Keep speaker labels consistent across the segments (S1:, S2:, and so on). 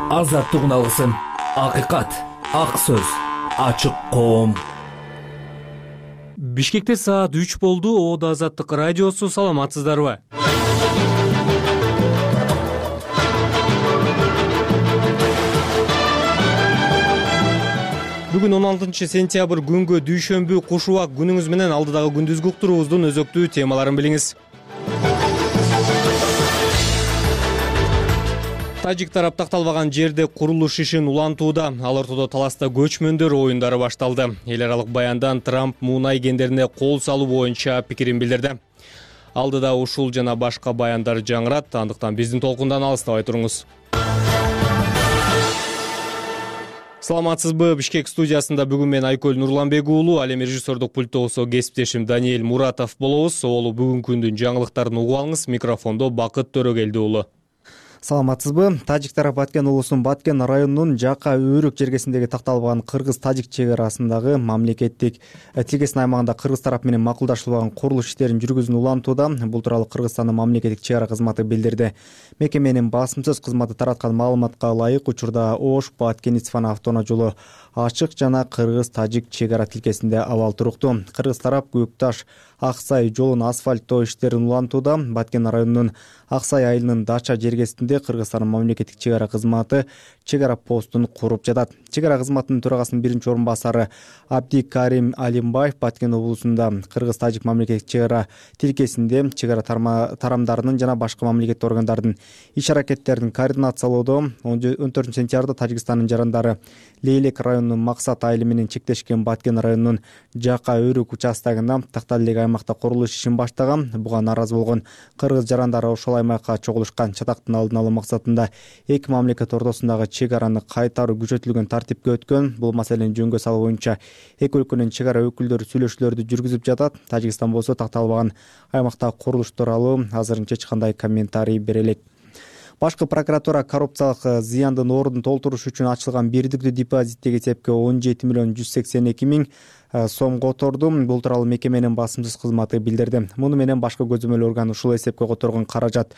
S1: Азаттык алгысым, акыйкат, ак сөз, ачык коом.
S2: Бишкекте саат 3 болду. Оодо Азаттык радиосу. Саламатсыздарбы? Бүгүн 16-сентябрь күнгө дүйшөмбү куш убак күнүңүз менен алдыдагы күндүзгү уктуруубуздун өзөктүү темаларын билиңиз. Тажик тарап такталбаган жерде курулуш ишин улантууда. Ал ортодо таласта көчмөндөр оюндары башталды. Эл аралык баяндан Трамп мунай кендерине кол салуу боюнча пикирин билдирди. Алдыда ушул жана башка баяндар жаңырат. Андыктан биздин толкундан алыстабай туруңуз. Саламатсызбы? Бишкек студиясында бүгүн мен Айкөл Нурланбек уулу, ал эми режиссердук пульттогусу кесиптешим Даниэль Муратов болобуз. Оолу бүгүнкү күндүн жаңылыктарын угуп алыңыз. Микрофондо Бакыт Төрөгелди уулу.
S3: Саламатсызбы? Тажик тарап Баткен улусунун Баткен районунун Жака Өрүк жергесиндеги такталбаган кыргыз-тажик чек арасындагы мамлекеттик тилкесин аймагында кыргыз тарап менен макулдашылбаган курулуш иштерин жүргүзүүнү улантууда. Бул тууралуу Кыргызстандын мамлекеттик чек ара кызматы билдирди. Мекеменин басымсыз кызматы тараткан маалыматка ылайык, учурда Ош Баткен-Исфана автоунаа жолу ачык жана кыргыз-тажик чек ара тилкесинде абал туруктуу. Кыргыз тарап Көкташ Аксай жолун асфальттоо иштерин улантууда. Баткен районунун Аксай айылынын Дача жергесинде Кыргызстандын мамлекеттик чек ара кызматы чек ара постун куруп жатат. Чек ара кызматынын төрагасынын биринчи орун басары Абдикарим Алимбаев Баткен облусунда кыргыз-тажик мамлекеттик чек ара тилкесинде чек ара тарамдарынын жана башка мамлекеттик органдардын иш аракеттерин координациялоодо 14-сентябрда Тажикстандын жарандары Лейлек районунун Максат айылы менен чектешкен Баткен районунун Жака Өрүк участогунда тактал элек аймакта курулуш ишин баштаган. Буга нааразы болгон кыргыз жарандары ошол аймакка чогулушкан. Чатактын алдын алуу максатында эки мамлекет ортосундагы чек араны кайтаруу күчөтүлгөн тартипке өткөн. Бул маселени жөнгө салуу боюнча эки өлкөнүн чек ара өкүлдөрү сүйлөшүүлөрдү жүргүзүп жатат. Тажикстан болсо такталбаган аймактагы курулуш тууралуу азырынча эч кандай комментарий бере элек. Башкы прокуратура коррупциялык зыяндын ордун толтуруш үчүн ачылган бирдиктүү депозиттеги эсепке 17.182.000 сом которду. Бул тууралуу мекеменин басымсыз кызматы билдирди. Муну менен башкы көзөмөл орган ушул эсепке которгон каражат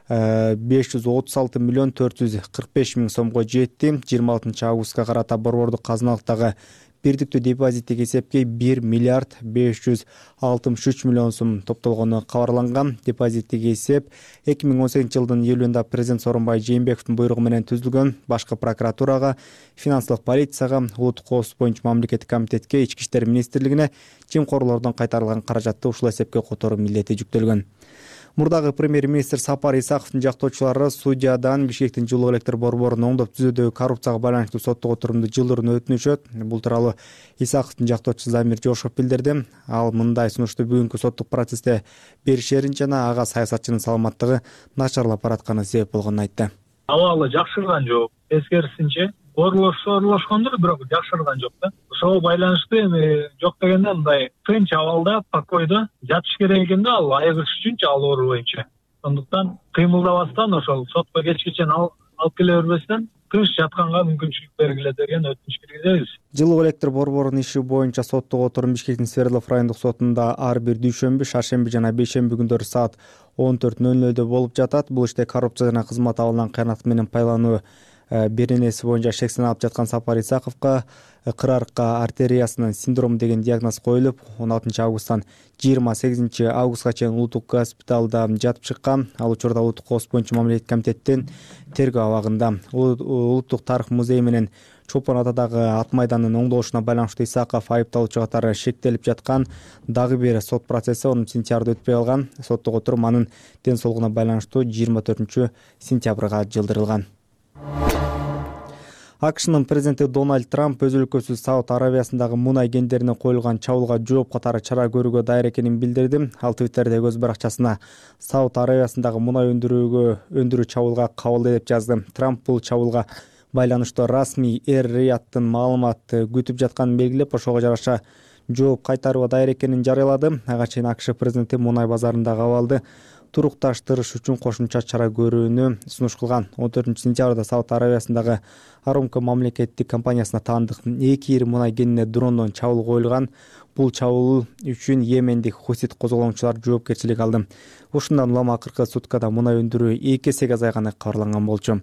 S3: 536.445.000 сомго жетти. 26-августка карата борбордук казыналыктагы бирдиктүү депозиттеги эсепке 1.563 сом топтолгону кабарланган. Депозиттеги эсеп 2018-жылдын июлунда президент Сооронбай Жээнбековдун буйругу менен түзүлгөн. Башкы прокуратурага, финансылык полицияга, улуттук коопсуздук боюнча мамлекеттик комитетке, Ички иштер министрлигине жемкорлордон кайтарылган каражатты ушул эсепке которуу милдети жүктөлгөн. Мурдагы премьер-министр Сапар Исаковдун жактоочулары судьядан Бишкектин жылуу электр борборун оңдоп түзүүдөгү коррупцияга байланыштуу соттук отурумду жылдырууну өтүнүшөт. Бул тууралуу Исаковдун жактоочусу Замир Жошов билдирди. Ал мындай сунушту бүгүнкү соттук процессте беришерин жана ага саясатчынын саламаттыгы начарлап баратканы себеп болгонун айтты.
S4: Абалы жакшырган жок, тескерисинче орлошкондур, бирок жакшырган жок да. Ошого байланыштуу эми жок дегенде мындай тынч абалда, покойдо жатыш керек экен да, ал айыгыш үчүнчү ал оору боюнча. Ошондуктан кыймылдабастан ошол сотко кечкече алып келе бербестен тыныч жатканга мүмкүнчүлүк бергиле деген өтүнүч киргизебиз.
S3: Жылуу электр борборунун иши боюнча соттук отурум Бишкектин Свердлов райондук сотунда ар бир дүйшөмбү, шаршемби жана бейшемби күндөрү саат 14:00 болуп жатат. Бул иште коррупция жана кызмат абалынан кыянат менен пайдалануу беренеси боюнча шектелип жаткан Сапар Исаковго кырарка артериясынын синдрому деген диагноз коюлуп, 16-августтан 28-августка чейин улуттук госпиталда жатып чыккан. Ал учурда улуттук коопсуздук боюнча мамлекеттик комитеттин тергөө абагында. Улуттук тарых музеи менен Чопон атадагы ат майдандын оңдолушуна байланыштуу Исаков айыпталуучу катары шектелип жаткан. Дагы бир сот процесси 10-сентябрда өтпөй калган. Соттук отурум анын ден соолугуна байланыштуу 24-сентябрга жылдырылган. АКШнын президенти Дональд Трамп өз өлкөсү Сауд Аравиясындагы мунай кендерине коюлган чабуулга жооп катары чара көрүүгө даяр экенин билдирди. Ал Твиттердеги өз баракчасына Сауд Аравиясындагы мунай өндүрүү чабуулга кабылды деп жазды. Трамп бул чабуулга байланыштуу расмий Эр-Рияттын маалымат күтүп жатканын белгилеп, ошого жараша жооп кайтарууга даяр экенин жарыялады. Ага чейин АКШ президенти мунай базарындагы абалды турукташтырыш үчүн кошумча чара көрүүнү сунуш кылган. 14-сентябрда Сауд Аравиясындагы Арамко мамлекеттик компаниясына таандык 2 ири мунай кенине дрондон чабуул коюлган. Бул чабуул үчүн Йемендик хусит козголоңчулар жоопкерчилик алды. Ушундан улам акыркы суткада мунай өндүрүү 2 эсеге азайганы кабарланган болчу.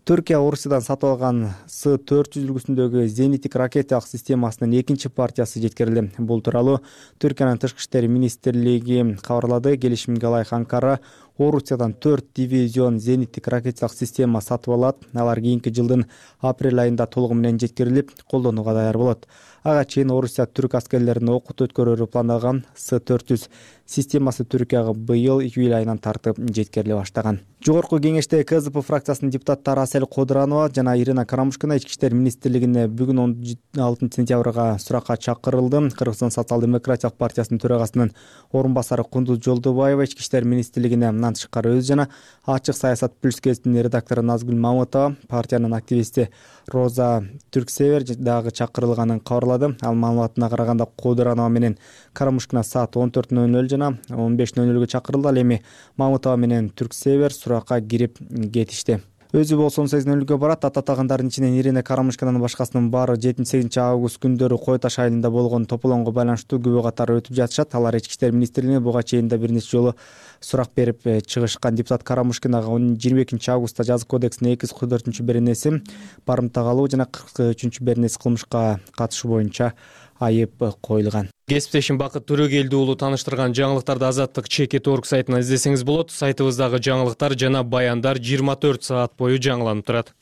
S3: Түркия Орусиядан сатып алган С-400 үлгүсүндөгү зениттик ракеталык системасынын экинчи партиясы жеткирилди. Бул тууралуу Түркиянын тышкы иштер министрлиги кабарлады. Келишимге ылайык Анкара Орусиядан 4 дивизион зениттик ракеталык система сатып алат. Алар кийинки жылдын апрель айында толугу менен жеткирилип, колдонууга даяр болот. Ага чейин Орусия түрк аскерлерин окут өткөрүүрү планлаган С-400 системасы Түркияга быйыл июль айынан тартып жеткириле баштаган. Жогорку кеңеште КЗП фракциясынын депутаттары Асель Кодуранова жана Ирина Карамушкина ички иштер министрлигине бүгүн 16 сентябрга суракка чакырылды. Кыргызстан социал-демократиялык партиясынын төрагасынын орун басары Кундуз Жолдобаева ички иштер министрлигине мындан тышкары өз жана Ачык саясат плюс гезитинин редактору Назгүл Мамытова, партиянын активисти Роза Түрксевер дагы чакырылганын кабарлады. Ал маалыматына караганда Кодуранова менен Карамушкина саат 14:00 жана 15:00 чакырылды. Ал эми Мамытова менен Түрксевер суракка кирип кетишти. Өзү болсо 18:00 барат. Ататагандардын ичинен Ирина Карамушкинанын башкасынын баары 7-8 август күндөрү Кой Таш айылында болгон тополоңго байланыштуу күбө катары өтүп жатышат. Алар ички иштер министрлигине буга чейин да бир нече жолу сурак берип чыгышкан. Депутат Карамушкинага 22 августта жазык кодексинин 244-беренеси барымта калуу жана 43-беренеси кылмышка катышуу боюнча айып коюлган.
S2: Кесиптешим Бакыт Төрөгелди уулу тааныштырган жаңылыктарды Азаттык Чекит.org сайтынан издесеңиз болот. Сайтыбыздагы жаңылыктар жана баяндар 24 саат бою жаңыланып турат.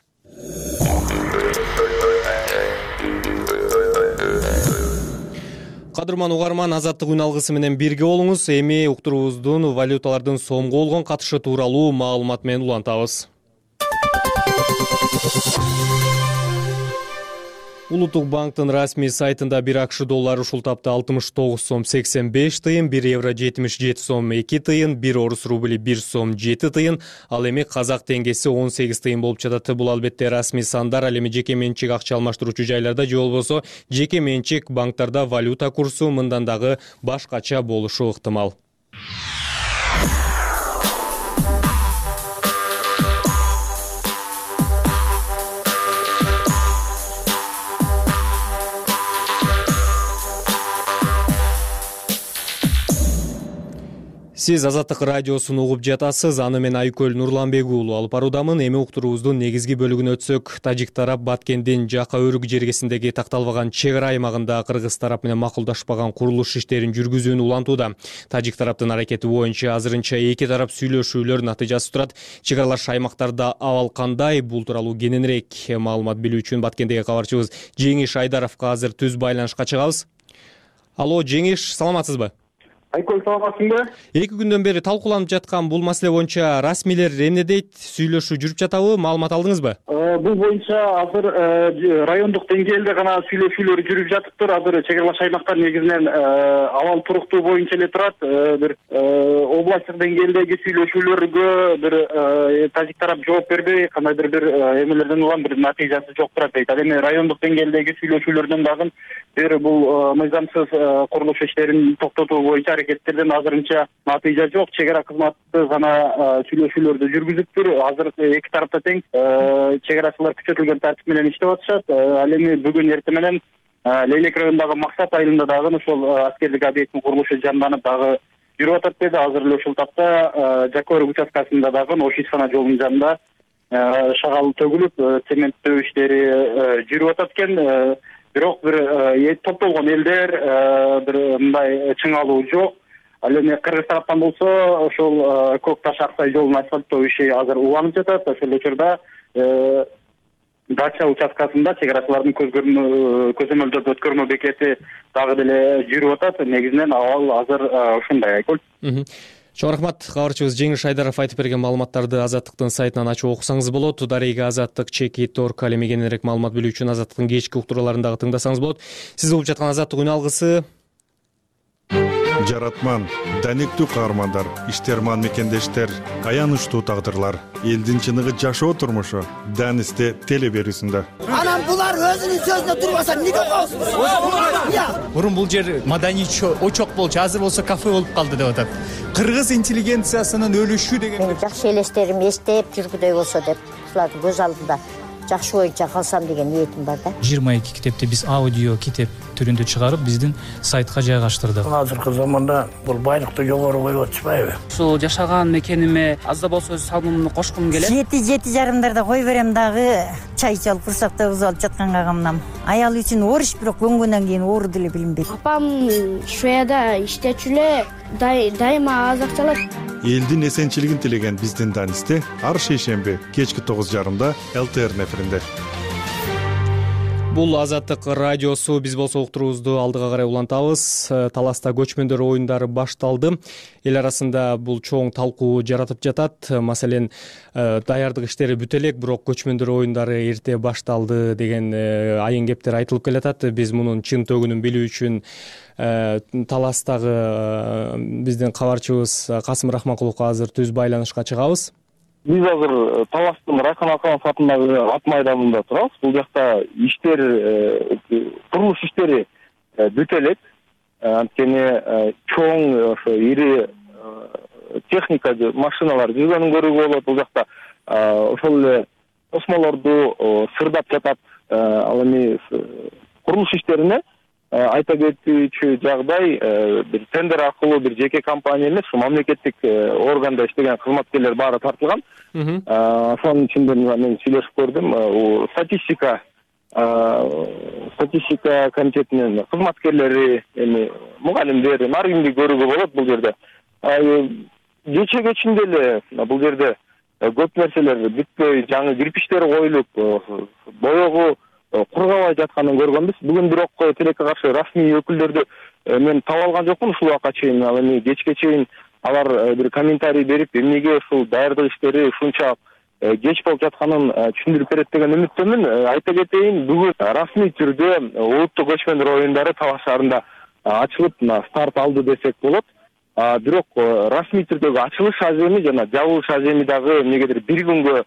S2: Кадырман угарман, Азаттык үн алгысы менен бирге болуңуз. Эми уктуруубуздун валюталардын сомго болгон катышы тууралуу маалымат менен улантабыз. Улуттук банктын расмий сайтында 1 АКШ доллары ушул тапта 69 сом 85 тыйын, 1 евро 77 сом 2 тыйын, 1 орус рубли 1 сом 7 тыйын, ал эми казак теңгеси 18 тыйын болуп жатат. Бул албетте расмий сандар, ал эми жеке менчик акча алмаштыруучу жайларда же болбосо жеке менчик банктарда валюта курсу мындан дагы башкача болушу ыктымал. Сиз Азаттык радиосун угуп жатасыз. Аны мен Айкөл Нурланбек уулу алып баруудамын. Эми уктуруубуздун негизги бөлүгүнө өтсөк, тажик тарап Баткендин Жака өрүк жергесиндеги такталбаган чек ара аймагында кыргыз тарап менен макулдашпаган курулуш иштерин жүргүзүүнү улантууда. Тажик тараптын аракети боюнча азырынча эки тарап сүйлөшүүлөр натыйжасы турат. Чек аралаш аймактарда абал кандай? Бул тууралуу кененирээк маалымат билүү үчүн Баткендеги кабарчыбыз Жеңиш Айдаровго азыр түз байланышка чыгабыз. Алло, Жеңиш, саламатсызбы?
S5: Айкөл, саламатсыңбы?
S2: 2 күндөн бери талкууланып жаткан бул маселе боюнча расмийлер эмне дейт? Сүйлөшүү жүрүп жатабы? Маалымат алдыңызбы?
S5: Бул боюнча азыр райондук деңгээлде гана сүйлөшүүлөр жүрүп жатыптыр. Азыр чек аралаш аймактар негизинен абал туруктуу боюнча эле турат. Бир областтык деңгээлдеги сүйлөшүүлөргө бир тажик тарап жооп бербей, кандайдыр бир эмелерден улам бир натыйжасы жок турат дейт. Ал эми райондук деңгээлдеги сүйлөшүүлөрдөн дагы бир бул мыйзамсыз курулуш иштерин токтотуу боюнча аракеттерден азырынча натыйжа жок. Чек ара кызматы гана сүйлөшүүлөрдү жүргүзүптүр. Азыр эки тарапта тең чек арачылар күчөтүлгөн тартип менен иштеп атышат. Ал эми бүгүн эртең менен Лейлек районундагы Максат айылында дагы ошол аскердик объекттин курулушу жанданып дагы жүрүп атат деди. Азыр эле ушул тапта Жака өрүк участкасында дагы ош ишкана жолунун жанында шагал төгүлүп, цементтөө иштери жүрүп атат экен. Бирок бир топтолгон элдер бир мындай чыңалуу жок. Ал эми кыргыз тараптан болсо ошол Көк Таш Аксай жолунун асфальттоо иши азыр уланып жатат. Ошол учурда Дача участкасында чек арачылардын көзөмөлдөө өткөрмө бекети дагы деле жүрүп атат. Негизинен абал азыр ушундай, Айкөл.
S2: Чоң рахмат. Кабарчыбыз Жеңиш Айдаров айтып берген маалыматтарды Азаттыктын сайтынан ачып окусаңыз болот. Дарега Азаттык Чекит.org ал эми кененирээк маалымат билүү үчүн Азаттыктын кечки уктурууларын дагы тыңдасаңыз болот. Сиз угуп жаткан Азаттык үн алгысы.
S6: Жаратман, даниктүү каармандар, иштерман мекендештер, аянычтуу тагдырлар, элдин чыныгы жашоо турмушу Данисте теле берүүсүндө.
S7: Анан булар өзүнүн сөзүнө турбаса эмнеге коесуз?
S8: Мурун бул жер маданий очок болчу, азыр болсо кафе болуп калды деп атат. Кыргыз интеллигенциясынын өлүшү деген
S7: жакшы элестерим эстеп жүргүдөй болсо деп ушулардын көз алдында жакшы боюнча калсам деген ниетим бар да.
S8: 22 китепти биз аудио китеп
S9: түрүндө чыгарып биздин сайтка жайгаштырдык.
S10: Азыркы заманда бул байлыкты жогору коюп атышпайбы?
S11: Ушул жашаган мекениме аз да болсо өз салымымды кошкум келет.
S12: 7-7:30 кой берем дагы чай ичип алып курсакта бузуп алып жатканга камнам. Аял үчүн ориш, бирок көнгөндөн кийин оор деле билинбейт.
S13: Апам Шведияда иштечү эле, дайыма аз акча алат.
S6: Элдин эсенчилигин тилеген биздин Данисте ар шейшемби кечки 9:30 ЛТР эфиринде.
S2: Бул Азаттык радиосу, биз болсо уктуруубузду алдыга карай улантабыз. Таласта көчмөндөр оюндары башталды. Эл арасында бул чоң талкуу жаратып жатат. Маселен, даярдык иштери бүтө элек, бирок көчмөндөр оюндары эрте башталды деген айын кептер айтылып келатат. Биз мунун чын төгүнүн билүү үчүн Таластагы биздин кабарчыбыз Касым Рахманкуловго азыр түз байланышка чыгабыз.
S5: Биз азыр Таластын Райхан Аканов атындагы ат майданында турабыз. Бул жакта иштер, курулуш иштери бүтө элек. Анткени чоң ошо ири техника, машиналар жүргөнүн көрүүгө болот. Бул жакта ошол эле тосмолорду сырдап жатат. Ал эми курулуш иштерине айта кетүүчү жагдай, бир тендер аркылуу бир жеке компания эмес, мамлекеттик органда иштеген кызматкерлер баары тартылган. Ошонун ичинде мен сүйлөшүп көрдүм. Статистика комитетинин кызматкерлери, эми мугалимдер, ар кимди көрүүгө болот бул жерде. Кече деле бул жерде көп нерселер бүтпөй, жаңы кирпичтер коюлуп, боёгу кургабай жатканын көргөнбүз. Бүгүн бирок тилекке каршы расмий өкүлдөрдү мен таба алган жокмун ушул убакка чейин. Ал эми кечке чейин алар бир комментарий берип, эмнеге ушул даярдык иштери ушунча кеч болуп жатканын түшүндүрүп берет деген үмүттөмүн. Айта кетейин, бүгүн расмий түрдө улуттук көчмөндөр оюндары Талас шаарында ачылып, старт алды десек болот. Бирок расмий түрдөгү ачылыш аземи жана жабылыш аземи дагы эмнегедир бир күнгө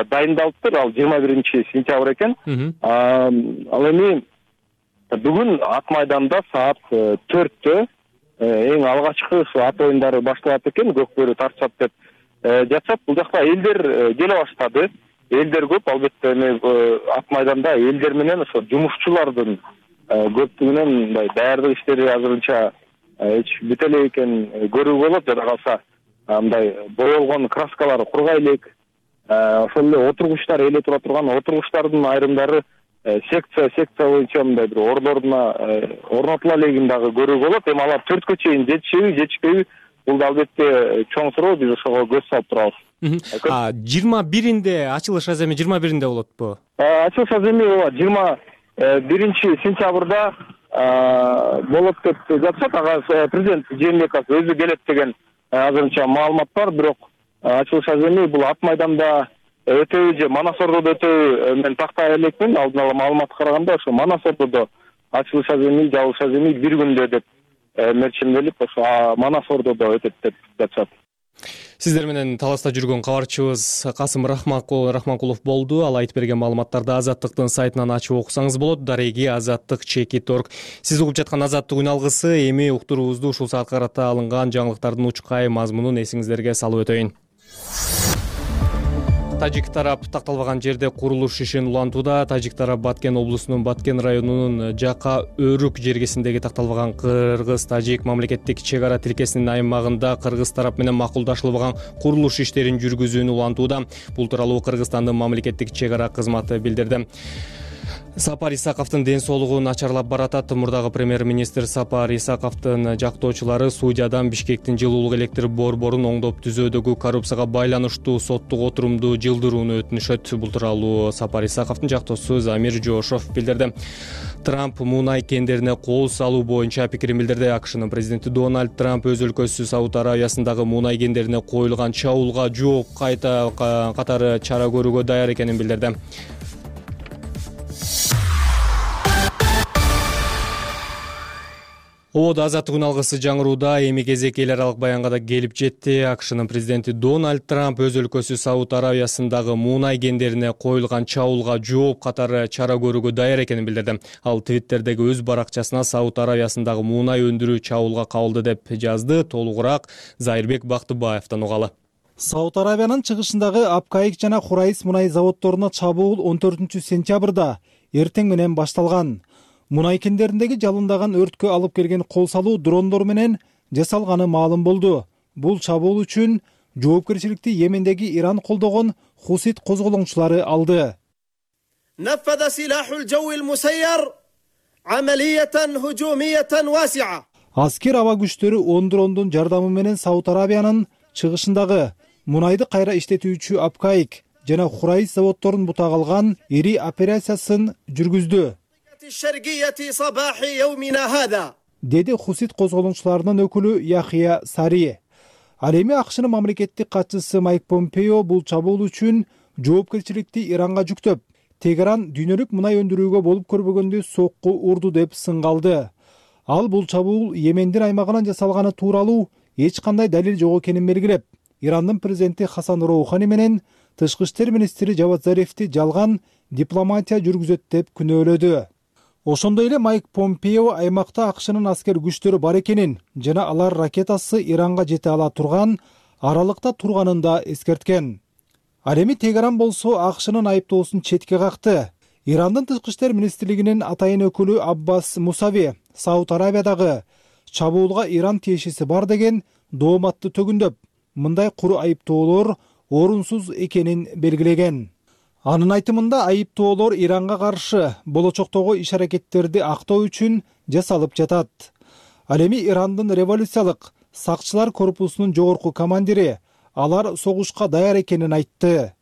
S5: дайындалыптыр. Ал 21 сентябрь экен. Ал эми бүгүн ат майданда саат 4-тө эң алгачкы ат оюндары башталат экен. Көкбөрү тартышат деп жатышат. Бул жакта элдер келе баштады. Элдер көп, албетте эми ат майданда элдер менен ошо жумушчулардын көптүгүнөн мындай даярдык иштери азырынча бүтө элек экен көрүүгө болот. Жада калса мындай боелгон краскалар кургай элек. Ошол эле отургучтар, эле тура турган отургучтардын айрымдары секция боюнча мындай бир орлоруна орнотула элегин дагы көрүүгө болот. Эми алар 4кө чейин жетишпейби? Бул да албетте чоң суроо, биз ошого көз салып турабыз.
S2: 21-инде ачылыш аземи 21-инде болотпу?
S5: Ачылыш аземи 21 сентябрда болот деп жатышат. Ага президент Жээнбеков өзү келет деген азырынча маалымат бар, бирок ачылыш аземи бул ат майданда өтөбү же Манас Ордодо өтөбү мен тактай элекмин. Алдын ала маалыматка караганда ошо Манас Ордодо ачылыш аземи, жабылыш аземи бир күндө деп мерчемделип, ошо Манас Ордодо өтөт деп жатышат.
S2: Сиздер менен Таласта жүргөн кабарчыбыз Касым Рахманкулов болду. Ал айтып берген маалыматтарды Азаттыктын сайтынан ачып окусаңыз болот. Дареги Азаттык.org. Сиз угуп жаткан Азаттык үн алгысы. Эми уктуруубузду ушул саатка карата алынган жаңылыктардын учкай мазмунун эсиңиздерге салып өтөйүн. Тажик тарап такталбаган жерде курулуш ишин улантууда. Тажик тарап Баткен облусунун Баткен районунун Жака Өрүк жергесиндеги такталбаган кыргыз-тажик мамлекеттик чек ара тилкесинин аймагында кыргыз тарап менен макулдашылбаган курулуш иштерин жүргүзүүнү улантууда. Бул тууралуу Кыргызстандын мамлекеттик чек ара кызматы билдирди. Сапар Исаковдун ден соолугу начарлап баратат. Мурдагы премьер-министр Сапар Исаковдун жактоочулары судьядан Бишкектин жылуулук электр борборун оңдоп түзүүдөгү коррупцияга байланыштуу соттук отурумду жылдырууну өтүнүшөт. Бул тууралуу Сапар Исаковдун жактоосу Замир Жошов билдирди. Трамп муунай кендерине кол салуу боюнча пикирин билдирди. АКШнын президенти Дональд Трамп өз өлкөсү Сауд Аравиясындагы муунай кендерине коюлган чабуулга жооп катары чара көрүүгө даяр экенин билдирди. Ободо Азаттык үн алгысы жаңырууда. Эми кезек эл аралык баянга да келип жетти. АКШнын президенти Дональд Трамп өз өлкөсү Сауд Аравиясындагы муунай кендерине коюлган чабуулга жооп катары чара көрүүгө даяр экенин билдирди. Ал Твиттердеги өз баракчасына Сауд Аравиясындагы муунай өндүрүү чабуулга кабылды деп жазды. Толугураак Зайырбек Бактыбаевден угалы.
S14: Сауд Аравиянын чыгышындагы Апкайык жана Хурайс мунай заводдоруна чабуул 14 сентябрда эртең менен башталган. мунай кендериндеги жалындаган өрткө алып келген кол салуу дрондор менен жасалганы маалым болду. Бул чабуул үчүн жоопкерчиликти Йемендеги Иран колдогон Хусит козголоңчулары алды.
S15: نفذ سلاح الجو المسير عملية هجومية واسعة.
S14: Аскер аба күчтөрү 10 дрондун жардамы менен Сауд Арабиянын чыгышындагы мунайды кайра иштетүүчү Апкайк жана Хурайс заводдорун бутак алган ири операциясын жүргүздү. Деди Хусит козголоңчуларынын өкүлү Яхия Сари. Ал эми АКШнын мамлекеттик катчысы Майк Помпео бул чабуул үчүн жоопкерчиликти Иранга жүктөп, Тегеран дүйнөлүк мунай өндүрүүгө болуп көрбөгөндө сокку урду деп сынгалды. Ал бул чабуул Йемендин аймагынан жасалганы тууралуу эч кандай далил жок экенин белгилеп, Ирандын президенти Хасан Роухани менен тышкы иштер министри Жавад Зарифти жалган дипломатия жүргүзөт деп күнөөлөдү. Ошондой эле Майк Помпео аймакта АКШнын аскер күчтөрү бар экенин жана алар ракетасы Иранга жете ала турган аралыкта турганын да эскерткен. Ал эми Тегеран болсо АКШнын айыптоосун четке какты. Ирандын тышкы иштер министрлигинин атайын өкүлү Аббас Мусави Сауд Арабиядагы чабуулга Иран тиешеси бар деген дооматты төгүндөп, мындай куру айыптоолор орунсуз экенин белгилеген. Анын айтымында айыптоолор Иранга каршы болочоктогу иш-аракеттерди актоо үчүн жасалып жатат. Ал эми Ирандын революциялык сакчылар корпусунун жогорку командири алар согушка даяр экенин айтты.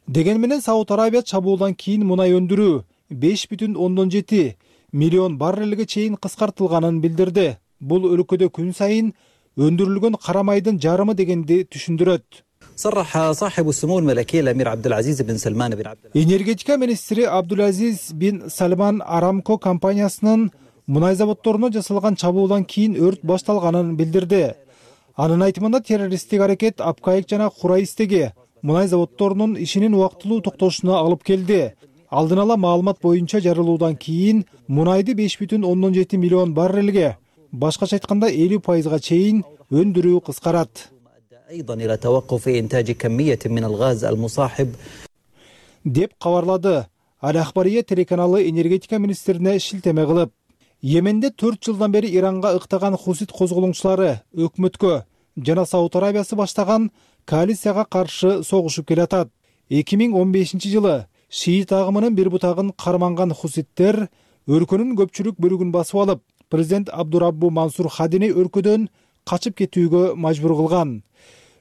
S14: Деген менен Сауд Арабия чабуулдан кийин мунай өндүрүү 5,7 миллион баррелге чейин кыскартылганын билдирди. Бул өлкөдө күн сайын өндүрүлгөн кара майдын жарымы дегенди түшүндүрөт.
S16: صرح صاحب السمو الملكي الأمير عبد العزيز بن سلمان بن عبد
S14: Энергетика министри Абдулазиз бин Салман Арамко компаниясынын мунай заводдоруна жасалган чабуулдан кийин өрт башталганын билдирди. Анын айтымында террористтик аракет Апкайк жана Хурайстеги мунай заводдорунун ишинин убактылуу токтошуна алып келди. Алдын ала маалымат боюнча жарылуудан кийин мунайды 5,7 миллион баррелге, башкача айтканда 50%га чейин өндүрүү кыскарат.
S16: أيضا إلى توقف إنتاج كمية من الغاز المصاحب
S14: деп кабарлады Ал-Ахбария телеканалы энергетика министрине шилтеме кылып. Йеменде 4 жылдан бери Иранга ыктаган Хусит козголоңчулары өкмөткө жана Сауд Арабиясы баштаган коалицияга каршы согушуп келатат. 2015 жылы шиит агымынын бир бутагын карманган Хуситтер өлкөнүн көпчүлүк бөлүгүн басып алып, президент Абдураббу Мансур Хадини өлкөдөн качып кетүүгө мажбур кылган.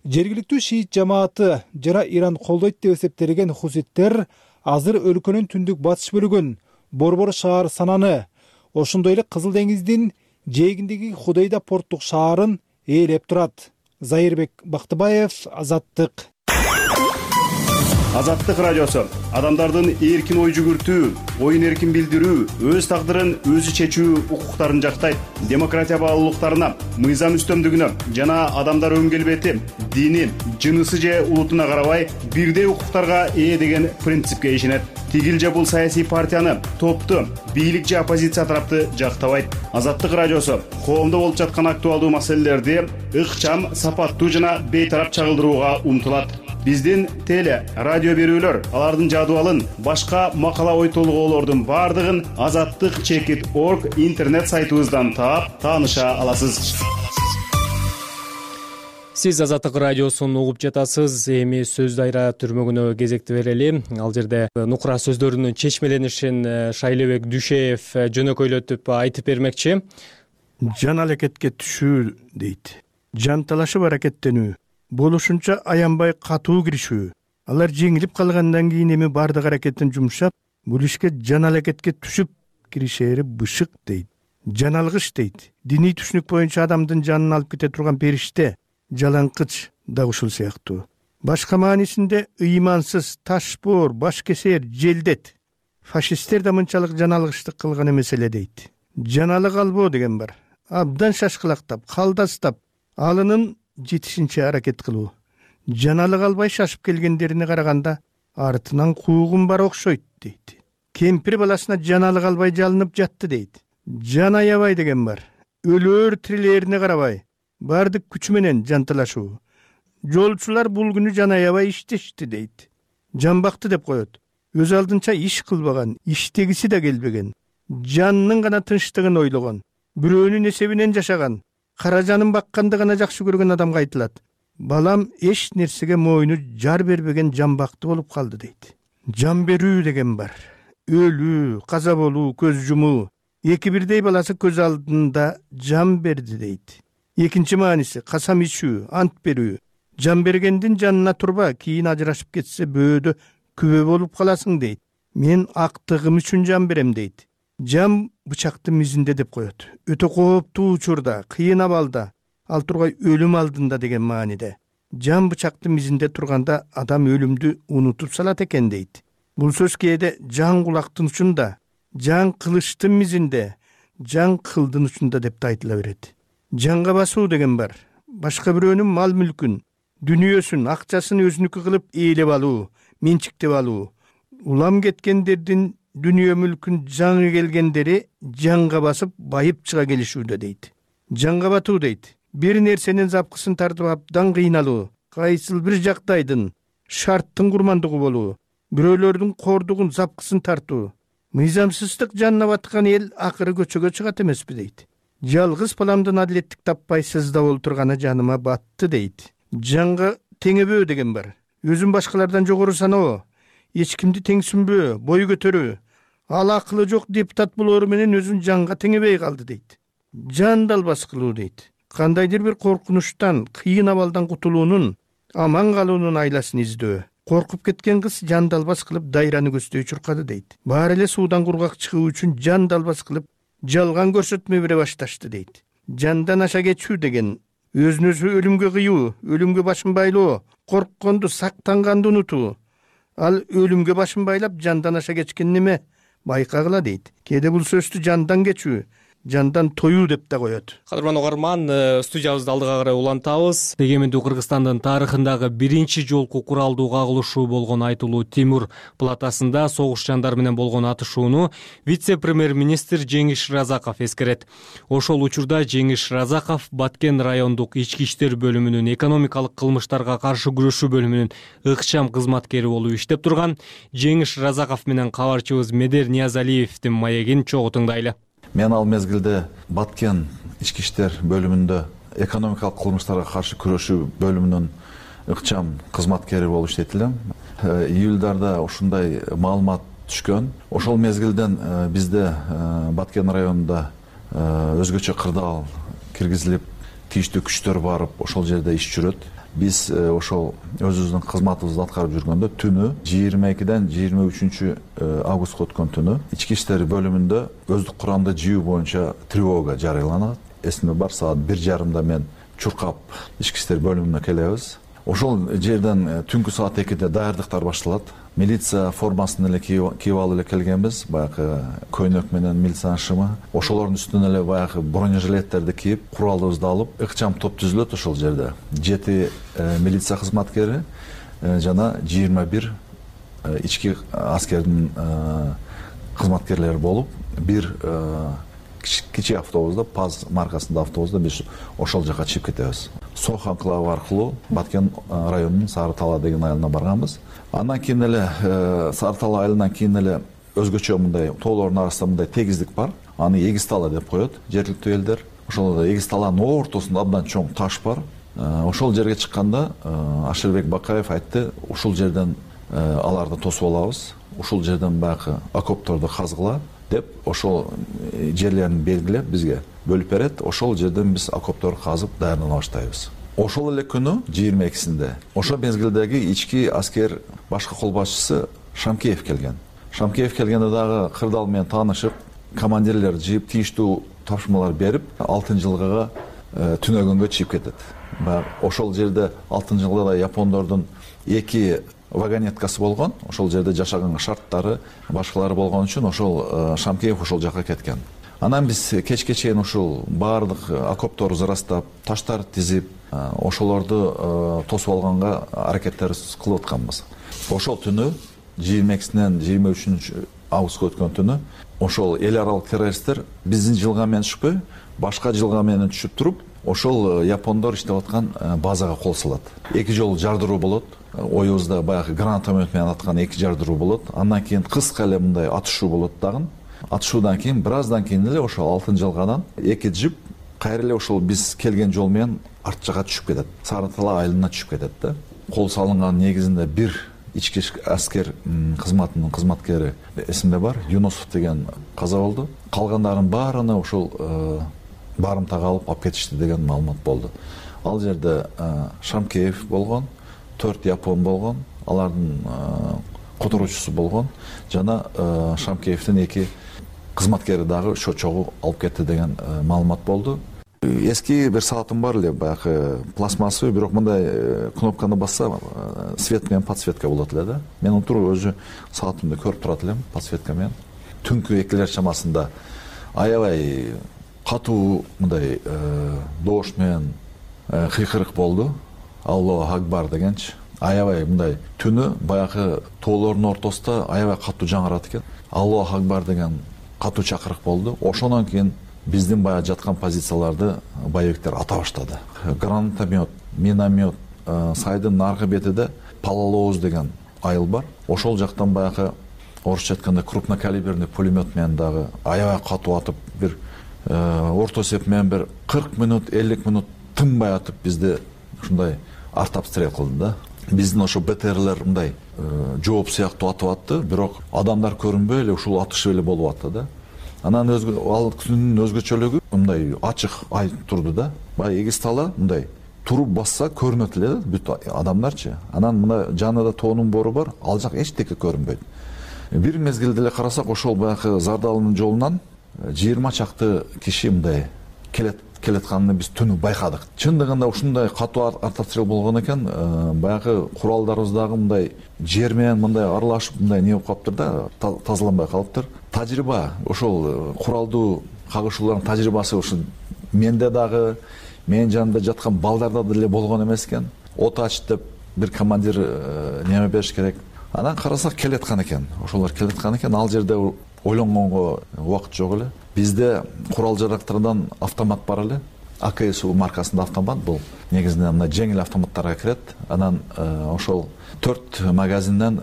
S14: Жергиликтүү шиит жамааты жана Иран колдойт деп эсептелген Хуситтер азыр өлкөнүн түндүк батыш бөлүгүн, Борбор шаар Сананы, ошондой эле Кызыл деңиздин жээгиндеги Худейда порттук шаарын ээлеп турат. Зайырбек Бактыбаев, Азаттык.
S17: Азаттык радиосу адамдардын эркин ой жүгүртүү, оюн эркин билдирүү, өз тагдырын өзү чечүү укуктарын жактайт. Демократия баалуулуктарына, мыйзам үстөмдүгүнө жана адамдар өн келбети, дини, жынысы же улутуна карабай бирдей укуктарга ээ деген принципке ишенет. Тигил же бул саясий партияны, топту, бийлик же оппозиция тарапты жактабайт. Азаттык радиосу коомдо болуп жаткан актуалдуу маселелерди ыкчам, сапаттуу жана бейтарап чагылдырууга умтулат. Биздин теле, радио берүүлөр, алардын жадыбалын, башка макала ой толгоолордун бардыгын azattik.org интернет сайтыбыздан таап, тааныша аласыз.
S2: Сиз Азаттык радиосун угуп жатасыз. Эми сөз дайра түрмөгүнө кезекти берели. Ал жерде нукура сөздөрүнүн чечмеленишин Шайлебек Дүшеев жөнөкөйлөтүп айтып бермекчи.
S10: Жан аракетке түшүү дейт. Жан талашып аракеттенүү, болушунча аянбай катуу киришүү. Алар жеңилип калгандан кийин эми бардык аракетин жумшап, бул ишке жан аракетке түшүп киришери бышык дейт. Жан алгыч дейт. Диний түшүнүк боюнча адамдын жанын алып кете турган периште, жалаңкыч да ушул сыяктуу. Башка маанисинде ыймансыз, ташбоор, башкесер, желдет. Фашисттер да мынчалык жан алгычтык кылган эмес эле дейт. Жаналык албоо деген бар. Абдан шашкылактап, калдастап, алынын жетишинче аракет кылуу. Жаналык албай шашып келгендерине караганда артынан куугун бар окшойт дейт. Кемпир баласына жаналык албай жалынып жатты дейт. Жан аябай деген бар. Өлөр тирилерине карабай, бардык күчү менен жанталашуу. Жолчулар бул күнү жан аябай иштешти дейт. Жан бакты деп коет. Өз алдынча иш кылбаган, иштегиси да келбеген. жанынын гана тынчтыгын ойлогон, бирөөнүн эсебинен жашаган, кара жанын бакканды гана жакшы көргөн адамга айтылат: балам эч нерсеге мойну жар бербеген жамбакты болуп калды дейт. Жан берүү деген бар. Өлүү, каза болуу, көз жумуу. Эки бирдей баласы көз алдында жан берди дейт. Экинчи мааниси касам ичүү, ант берүү. Жан бергендин жанына турба, кийин ажырашып кетсе бөөдө күбө болуп каласың дейт. Мен актыгым үчүн жан берем дейт. Жан бычактын мизинде деп коет. Өтө кооптуу учурда, кыйын абалда, ал тургай өлүм алдында деген мааниде. Жан бычактын мизинде турганда адам өлүмдү унутуп салат экен дейт. Бул сөз кээде жан кулактын учунда, жан кылычтын мизинде, жан кылдын учунда деп да айтыла берет. Жанга басуу деген бар. Башка бирөөнүн мал мүлкүн, дүнүйөсүн, акчасын өзүнүкү кылып ээлеп алуу, менчиктеп алуу. Улам кеткендердин дүнүйө мүлкүн жаңы келгендери жанга басып байып чыга келишүүдө дейт. Жанга батуу дейт. Бир нерсенин запкысын тартып абдан кыйналуу, кайсыл бир жагдайдын, шарттын курмандыгы болуу, бирөөлөрдүн кордугун, запкысын тартуу. Мыйзамсыздык жанына баткан эл акыры көчөгө чыгат эмеспи дейт. Жалгыз баламдын адилеттик таппай сыздап олтурганы жаныма батты дейт. Жанга теңебөө деген бар. Өзүн башкалардан жогору саноо, эч кимди теңсүнбөө, бой көтөрүү. Ал акылы жок депутат болору менен өзүн жанга теңебей калды дейт. Жан далбас кылуу дейт. Кандайдыр бир коркунучтан, кыйын абалдан кутулуунун, аман калуунун айласын издөө. Коркуп кеткен кыз жан далбас кылып дайраны көздөй чуркады дейт. Баары эле суудан кургак чыгуу үчүн жан далбас кылып жалган көрсөтмө бере башташты дейт. Жандан аша кетүү деген өзүн өзү өлүмгө кыюу, өлүмгө башын байлоо, коркконду, сактанганды унутуу. Ал өлүмгө башын байлап жандан аша кечкен неме? Байкагыла дейт. Кээде бул сөздү жандан кечүү, жандан тоюу деп да коет.
S2: Кадырман угарман, студиябызды алдыга карай улантабыз. Эгемендүү Кыргызстандын тарыхындагы биринчи жолку куралдуу кагылышуу болгон айтылуу Тимур платасында согуш жандары менен болгон атышууну вице-премьер-министр Жеңиш Разаков эскерет. Ошол учурда Жеңиш Разаков Баткен райондук ички иштер бөлүмүнүн экономикалык кылмыштарга каршы күрөшүү бөлүмүнүн ыкчам кызматкери болуп иштеп турган. Жеңиш Разаков менен кабарчыбыз Медер Ниязалиевдин маегин чогуу тыңдайлы.
S18: Мен ал мезгилде Баткен ички иштер бөлүмүндө экономикалык кылмыштарга каршы күрөшүү бөлүмүнүн ыкчам кызматкери болуп иштейт элем. Июлдарда ушундай маалымат түшкөн. Ошол мезгилден бизде Баткен районунда өзгөчө кырдаал киргизилип, тийиштүү күчтөр барып, ошол жерде иш жүрөт. Биз ошол өзүбүздүн кызматыбызды аткарып жүргөндө түнү 22-ден 23 августка өткөн түнү ички иштер бөлүмүндө өздүк курамда жибүү боюнча тревога жарыяланат. Эсимде бар, саат 1:30 мен чуркап ички иштер бөлүмүнө келебиз. Ошол жерден түнкү саат 2-де даярдыктар башталат. Милиция формасын эле кийип алып эле келгенбиз, баягы көйнөк менен милициянын шымы. Ошолордун үстүнө эле баягы бронежилеттерди кийип, куралыбызды алып, ыкчам топ түзүлөт ошол жерде. 7 милиция кызматкери жана 21 ички аскердин кызматкерлери болуп, бир кичи автобузда, ПАЗ маркасындагы автобузда биз ошол жака чыгып кетебиз. Сох анклавы аркылуу Баткен районунун Сары Тала деген айылына барганбыз. Андан кийин эле Сары Тала айылынан кийин эле өзгөчө мындай тоолордун арасында мындай тегиздик бар. Аны Эгиз Тала деп коет жергиликтүү элдер. Ошол Эгиз Таланын ортосунда абдан чоң таш бар. Ошол жерге чыкканда Ашырбек Бакаев айтты, ушул жерден аларды тосуп алабыз. Ушул жерден баягы окопторду казгыла деп ошол жерлерин белгилеп бизге бөлүп берет. Ошол жерден биз окоптор казып даярдана баштайбыз. Ошол эле күнү 22-синде ошол мезгилдеги ички аскер башкы кол башчысы Шамкеев келген. Шамкеев келгенде дагы кырдаал менен таанышып, командирлер жыйып, тийиштүү тапшырмалар берип, 6-жылгага түнөгөнгө чыгып кетет. Ошол жерде 6-жылгада япондордун 2 вагонеткасы болгон. Ошол жерде жашаган шарттары башкалары болгон үчүн ошол Шамкеев ошол жака кеткен. Анан биз кечке чейин ушул баардык окопторду зарастап, таштар тизип, ошолорду тосуп алганга аракеттер кылып атканбыз. Ошол түнү 22-синен 23 августка өткөн түнү ошол эл аралык террористтер биздин жылга менен түшпөй, башка жылга менен түшүп туруп, ошол япондор иштеп аткан базага кол салат. 2 жолу жардыруу болот. Оюбузда баягы гранатомет менен аткан 2 жардыруу болот. Андан кийин кыска эле мындай атышуу болот дагы. атышуудан кийин бир аздан кийин эле ошол 6-жылгадан 2 жип кайра эле ошол биз келген жол менен арт жакка түшүп кетет, Сары Тала айылына түшүп кетет да. Кол салынган негизинде бир ички аскер кызматынын кызматкери эсимде бар, Юнусов деген каза болду. Калгандардын баарына ошол барымтага алып кетишти деген маалымат болду. Ал жерде Шамкеев болгон, 4 япон болгон, алардын которуучусу болгон жана Шамкеевдин 2 кызматкери дагы ошо чогуу алып кетти деген маалымат болду. Эски бир саатым бар эле, баягы пластмассовый, бирок мындай кнопканы басса свет менен подсветка болот эле да. Мен отуруп өзү саатымды көрүп турат элем подсветка менен. Түнкү 2-лер чамасында аябай катуу мындай доош менен кыйкырык болду. Алло Акбар дегенчи. Аябай мындай түнү баягы тоолордун ортосунда аябай катуу жаңырат экен. Алло Акбар деген катуу чакырык болду. Ошондон кийин биздин баягы жаткан позицияларды боевиктер ата баштады. Гранатомет, миномет, сайдын наркы бетиде Палалооз деген айыл бар. Ошол жактан баягы орусча айтканда крупнокалиберный пулемет менен дагы аябай катуу атып, бир орто эсеп менен бир 40 минут, 50 минут тынбай атып бизди ушундай артобстрел кылды да. Биздин ошо БТРлер мындай жооп сыяктуу атып атты, бирок адамдар көрүнбөй эле ушул атышып эле болуп атты да. Анан ал күнүнүн өзгөчөлүгү мындай ачык ай турду да. Баягы эгиз тала мындай туруп басса көрүнөт эле бүт адамдарчы. Анан мына жанында тоонун бору бар, ал жак эчтеке көрүнбөйт. Бир мезгилде эле карасак ошол баягы Зардалынын жолунан 20 чакты киши мындай келатканын биз түнү байкадык. Чындыгында ушундай катуу артобстрел болгон экен, баягы куралдарыбыз дагы мындай жер менен мындай аралашып мындай не болуп калыптыр да, тазаланбай калыптыр. Тажрыйба, ошол куралдуу кагышуулардын тажрыйбасы ушул менде дагы, менин жанымда жаткан балдарда деле болгон эмес экен. От ач деп бир командир неме бериш керек. Анан карасак келаткан экен. Ошолор келаткан экен, ал жерде ойлонгонго убакыт жок эле. Бизде курал жарактардан автомат бар эле. АКСУ маркасында автомат, бул негизинен мына жеңил автоматтарга кирет. Анан ошол 4 магазинден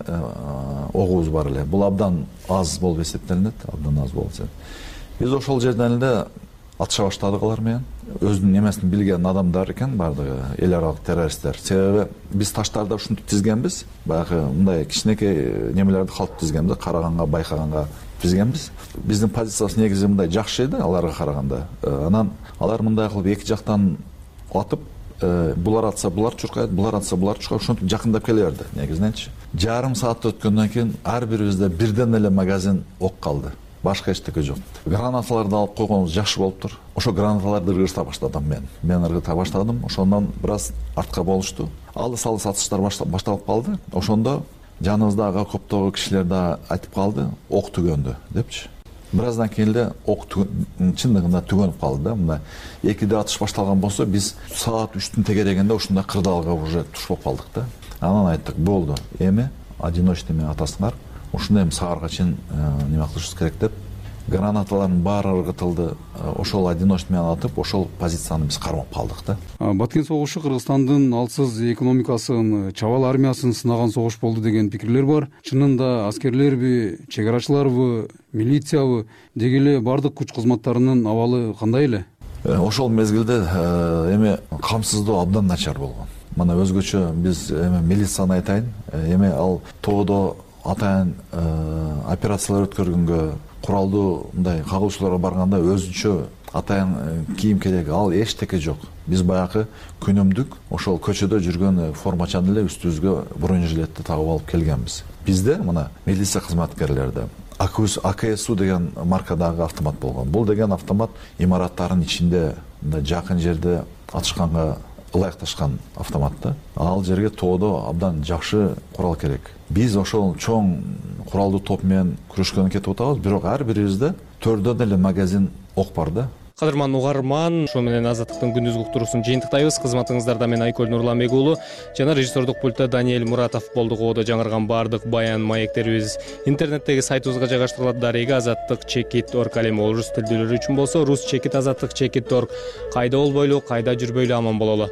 S18: огубуз бар эле. Бул абдан аз болуп эсептелинет, абдан аз болуп эсептелинет. Биз ошол жерден эле атыша баштадык алар менен. Өзүнүн немесин билген адамдар экен бардыгы, эл аралык террористтер. Себеби биз таштарды ушинтип тизгенбиз. Баягы мындай кичинекей немелерди калп тизгенбиз, караганга, байкаганга тизгенбиз. Биздин позициябыз негизи мындай жакшы эди аларга караганда. Анан алар мындай кылып эки жактан атып, булар атса булар чуркайт, булар атса булар чуркайт, ошентип жакындап келе берди негизиненчи. Жарым саат өткөндөн кийин ар бирибизде бирден эле магазин ок калды. Башка эчтеке жок. Гранаталарды алып койгонубуз жакшы болуптур. Ошо гранаталарды ыргыта баштадым мен. Мен ыргыта баштадым. Ошондон бир аз артка болушту. Алыс атыштар башталып калды. Ошондо жаныбыздагы окоптогу кишилер да айтып калды, ок түгөндү депчи. Бир аздан кийин эле ок чындыгында түгөнүп калды да. Мына 2де атыш башталган болсо, биз саат 3-түн тегерегинде ушундай кырдаалга уже туш болуп калдык да. Анан айттык, болду, эми одиночный менен атасыңар. Ушундай саарга чейин неме кылышыбыз керек деп гранаталардын баары ыргытылды. Ошол одиночный менен атып, ошол позицияны биз кармап калдык да.
S19: Баткен согушу Кыргызстандын алсыз экономикасын, чабал армиясын сынаган согуш болду деген пикирлер бар. Чынында аскерлерби, чек арачыларбы, милициябы, деги эле бардык күч кызматтарынын абалы кандай эле?
S18: Ошол мезгилде эми камсыздоо абдан начар болгон. Мына өзгөчө биз эми милицияны айтайын, эми ал тоодо атайын операциялар өткөргөнгө, куралдуу мындай кагылышууларга барганда өзүнчө атайын кийим керек, ал эчтеке жок. Биз баягы күнүмдүк ошол көчөдө жүргөн формачан эле үстүбүзгө бронежилетти тагып алып келгенбиз. Бизде мына милиция кызматкерлерде АКСУ деген маркадагы автомат болгон. Бул деген автомат имараттардын ичинде мындай жакын жерде атышканга ылайыкташкан автомат да. Ал жерге тоодо абдан жакшы курал керек. Биз ошол чоң куралдуу топ менен күрөшкөнгө кетип атабыз, бирок ар бирибизде 4дөн эле магазин ок бар да.
S2: Кадырман угарман, ошо менен Азаттыктын күндүзгү уктуруусун жыйынтыктайбыз. Кызматыңыздарда мен Айкөл Нурламбек уулу жана режиссердук пультта Даниэль Муратов болду. Оодо жаңырган бардык баян маектерибиз интернеттеги сайтыбызга жайгаштырылат. Дареги azattik.org. Ал эми орус тилдүүлөр үчүн болсо rusчекит azattik.org. Кайда болбойлу, кайда жүрбөйлү аман бололу.